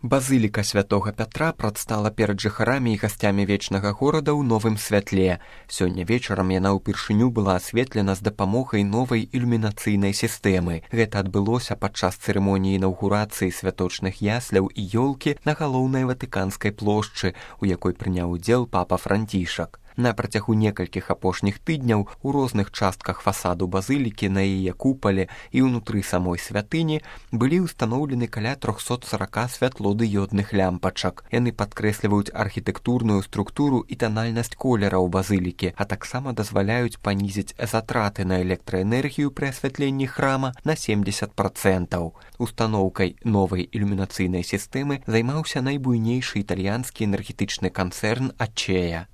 Базыліка святога Пятра прадстала перад жыхарамі і гасцямі вечнага горада ў новым святле. Сёння вечарам яна ўпершыню была асветлена з дапамогай новай ілюмінацыйнай сістэмы. Гэта адбылося падчас цырымоніі інаўгурацыі святочных ясляў і ёлкі на галоўнай ватыканскай плошчы, у якой прыняў удзел папа Францішак. На працягу некалькіх апошніх тыдняў у розных частках фасаду базылікі, на яе купале і ўнутры самой святыні былі ўстаноўлены каля 340 святлодыёдных лямпачак. Яны падкрэсліваюць архітэктурную структуру і танальнасць колераў базылікі, а таксама дазваляюць панізіць затраты на электраэнергію пры асвятленні храма на 70%. Устаноўкай новай ілюмінацыйнай сістэмы займаўся найбуйнейшы італьянскі энергетычны канцэрн Ачея.